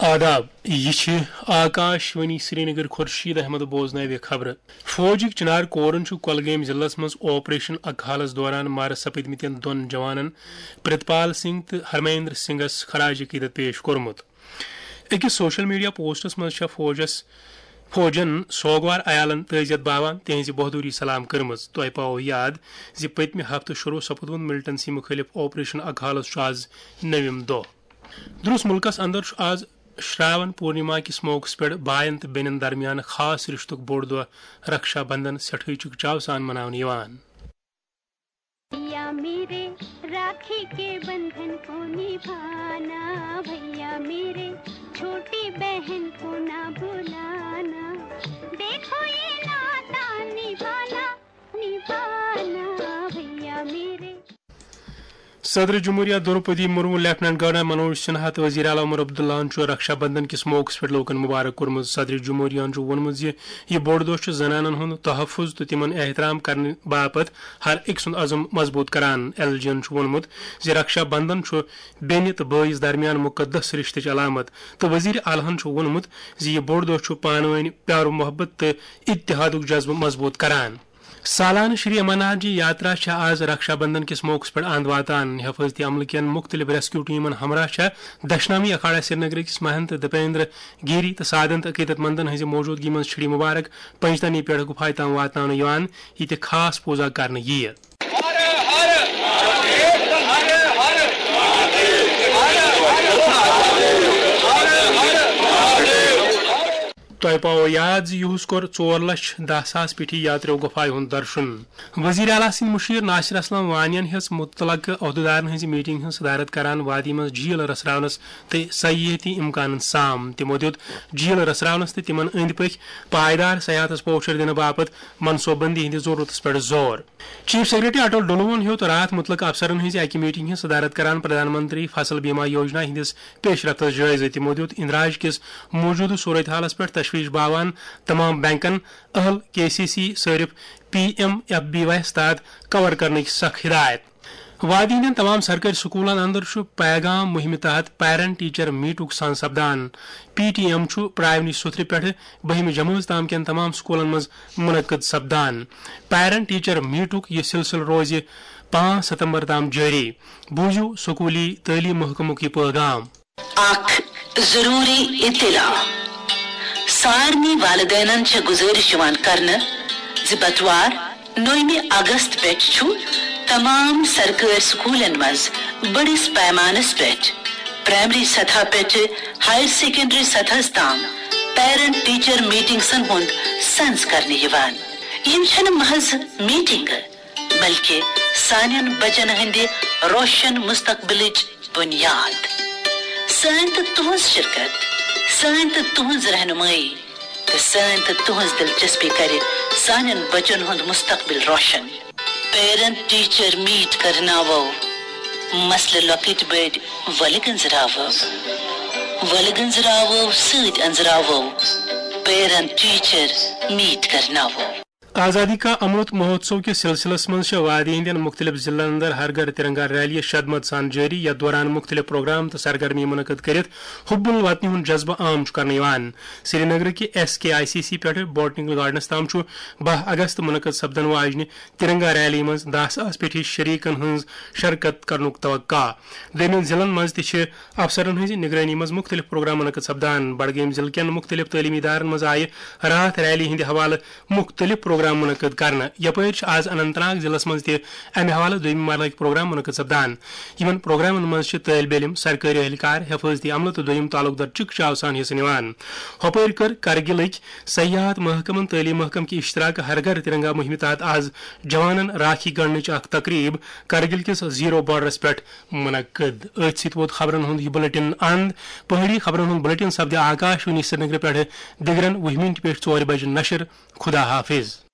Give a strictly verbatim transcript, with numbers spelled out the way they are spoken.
آداب، یہِ چھِ آکاش وانی سرینگر۔ خورشید احمد بوزناوِ خبرٕ۔ فوجٕکۍ چنار کورن چھُ کۄلگٲمۍ ضلعس منٛز آپریشن اکھالس دوران مارٕ سپٕدمٕتٮ۪ن دۄن جوانن پرتپال سنگھ تہٕ ہرمیندر سنگھس خراج عقیدت پیش کوٚرمُت۔ أکِس سوشل میڈیا پوسٹس منٛز چھےٚ فوجس، فوجن سوگوار عیالن تعزیت باوان تِہنزِ بہادری سلام کٔرمٕژ۔ تۄہہِ پاوو یاد زِ پٔتمہِ ہفتہٕ شروع سپُدمُت ملٹنسی مُخٲلف آپریشن اکھالس چھُ آز نٔوِم دۄہ۔ درس ملکس اندر چھُ آز شراون پورنیما کِس موقعس پٮ۪ٹھ باین تہٕ بیٚنٮ۪ن درمیان خاص رشتُک بوٚڑ دۄہ رکشا بندھن سٮ۪ٹھٕے چکچاو سان مناونہٕ یِوان۔ भैया मेरे, राखी के बंधन को निभाना, भैया मेरे, छोटी बहन को ना भुलाना। देखो ये नाता निभाना, निभाना, भैया मेरे। صدر جمہوریہ دروپدی مرمو، لیفٹیننٹ گورنر منوج سنہا تہٕ وزیر اعلیٰ عمر عبداللہ ہن چھُ رکشا بندھن کِس موقعس پٮ۪ٹھ لوٗکن مبارک کوٚرمُت۔ صدر جمہوریہ ہن چھُ ووٚنمُت زِ یہِ بوٚڑ دۄہ چھُ زنانن ہُنٛد تحفظ تہٕ تِمن احترام کرنہٕ باپتھ ہر أکۍ سُنٛد عزم مضبوٗط کران۔ ایل جی ہن چھُ ووٚنمُت زِ رکشا بندھن چھُ بیٚنہِ تہٕ بٲیِس درمیان مقدس رشتٕچ علامت، تہٕ وزیر اعلیٰ ہن چھُ ووٚنمُت زِ یہِ بوٚڑ دۄہ چھُ پانہٕ ؤنۍ پیار محبت تہٕ اتحادُک جذبہٕ مضبوٗط کران۔ سالانہٕ شری امرناتھ جی یاترا چھےٚ آز رکشا بندھن کِس موقعس پٮ۪ٹھ اند واتان۔ حفاظتی عملہٕ کٮ۪ن مختلف ریسکیو ٹیمن ہمراہ چھےٚ دشنامی اکھاڑا سرینگرٕ کِس مہنت دیپیندر گیری تہٕ سادنت عقیدت مندن ہٕنٛزِ موجودگی منٛز چھڑی مبارک پنجتنی پٮ۪ٹھ گُفایہِ تام واتناونہٕ یِوان، ییٚتہِ خاص پوٗزا کرنہٕ یِیہِ۔ تۄہہِ پاوو یاد زِ یُہُس کوٚر ژور لچھ دَہ ساس پیٹھی یاتریو گۄپھایہِ ہُنٛد درشُن۔ وزیر اعلیٰ سٕنٛدۍ مُشیر ناصر اسلم وانین ہیٚژ مُتعلقہٕ عہدٕدارن ہٕنٛزِ میٹنگ ہٕنٛز صدارت کران وادی منٛز جھیل رژھراونس تہٕ سیٲحتی امکانن سام۔ تِمو دیُت جھیل رژھراونس تہٕ تِمن أنٛدۍ پٔکۍ پائیدار سیاحتس پوچھر دِنہٕ باپتھ منصوبہٕ بندی ہٕنٛدِس ضروٗرتس پٮ۪ٹھ زور۔ چیف سیکرٹری اٹل ڈلوہن ہیوٚت راتھ مُتعلقہٕ افسرن ہٕنٛزِ اکہِ میٹنگ ہٕنٛز صدارت کران پردھان منتری فصل بیمہ یوجنا ہٕنٛدِس پیش رفتس جٲیزٕ۔ تِمو دیُت اندراج کِس موجودٕ صورتحالس پٮ۪ٹھ تشویش باوان تمام بینکن اہل کے سی سی صٲرِف P M F B Y تحت کور کرنٕکۍ سخ ہدایت۔ وادی ہٕنٛدٮ۪ن تمام سرکٲرۍ سکوٗلن اندر چھُ پیغام مُہِمہِ تحت پیرنٹ ٹیچر میٹُک سان سپدان۔ پی ٹی ایم چھُ پرایمری سُتھرِ پٮ۪ٹھٕ بٔہمہِ جمٲژ تام کٮ۪ن تمام سکوٗلن منٛز منعقد سپدان۔ پیرنٹ ٹیچر میٹُک یہِ سلسلہٕ روزِ پانٛژھ ستمبر تام جٲری۔ بوٗزِو سکوٗلی تعلیٖم محکمُک یہِ پیغام۔ اکھ ضروری اطلاع۔ سارنٕے والدینن چھےٚ گزٲرِش یِوان کرنہٕ زِ بتوار نومہِ اگست پٮ۪ٹھ چھُ تمام سرکٲرۍ سکوٗلن منٛز بٔڑِس پیمانس پٮ۪ٹھ پرائمری سطح پٮ۪ٹھٕ ہائر سیکنڈری سطحس تام پیرنٹ ٹیچر میٹنگسن ہُنٛد سنز کرنہٕ یِوان۔ یِم چھنہٕ محض میٹنگہٕ، بلکہ سانٮ۪ن بچن ہٕنٛدِ روشن مستقبلٕچ بنیاد۔ سٲنۍ تہٕ تُہنٛز شرکت، سٲنۍ تہٕ تُہنٛز رہنمٲیی تہٕ سٲنۍ تہٕ تُہنٛز دلچسپی کرِ سانٮ۪ن بچن ہُنٛد مستقبل روشن۔ پیرنٹ ٹیچر میٹ کرناوو، مسلہٕ لۄکٕٹۍ بٔڑۍ ولہٕ گنٛزراوو، ولہٕ گنٛزراوو سۭتۍ أنٛزراوو۔ پیرنٹ ٹیچر میٹ کرناوو۔ آزادی کا امرت مہوتسو کِس سلسلس منٛز چھِ وادی ہٕنٛدٮ۪ن مُختٔلِف ضلعن اندر ہر گھر ترنگا ریلی شدمت سان جٲری، یتھ دوران مُختٔلِف پروگرام تہٕ سرگرمی منعقد کٔرِتھ حب الوطنی ہُنٛد جذبہٕ عام چھُ کرنہٕ یِوان۔ سرینگرٕ کہِ S K I C C پٮ۪ٹھٕ بوٹنیکل گارڈنس تام چھُ باہ اگست منعقد سپدن واجنہِ ترنگا ریلی منٛز دَہ ساس پیٹھی شریکن ہٕنٛز شرکت کرنُک توقع۔ دوٚیمٮ۪ن ضلعن منٛز تہِ چھِ افسرن ہٕنٛزِ نگرٲنی منٛز مُختٔلِف پروگرام منعقد سپدان۔ بڈگٲمۍ ضلعہٕ کٮ۪ن مُختٔلِف تعلیٖمی ادارن منٛز آیہِ راتھ ریلی ہٕنٛدِ حوالہٕ مُختٔلِف پروگرام منعقد کرنہٕ۔ یپٲرۍ چھِ آز اننت ناگ ضلعس منٛز تہِ امہِ حوالہٕ دوٚیمہِ مرحلٕکۍ پروگرام منعقد سپدان۔ یِمن پروگرامن منٛز چھِ طٲلبہِ علم، سرکٲرۍ اہلکار، حفاظتی عملہٕ تہٕ دوٚیِم تعلق دار چکچاو سان حصہٕ نِوان۔ ہۄپٲرۍ کٔر کرگلٕکۍ سیاحت محکمن تعلیٖم محکمہٕ کہِ اشتراکہٕ ہر گھر ترنگا مہمہِ تحت آز جوانن راکھی گنڈنٕچ اکھ تقریب کرگل کِس زیرو بارڈرس پٮ۪ٹھ منعقد۔ أتھۍ سۭتۍ ووت خبرن ہُنٛد یہِ بلیٹن اند۔ پہٲڑی خبرن ہُنٛد بلیٹن سپدِ آکاش وانی سرینگرٕ پٮ۪ٹھٕ دِگرن وُہہِ مِنٹہِ پٮ۪ٹھ ژورِ بجہِ نشر۔ خدا حافظ۔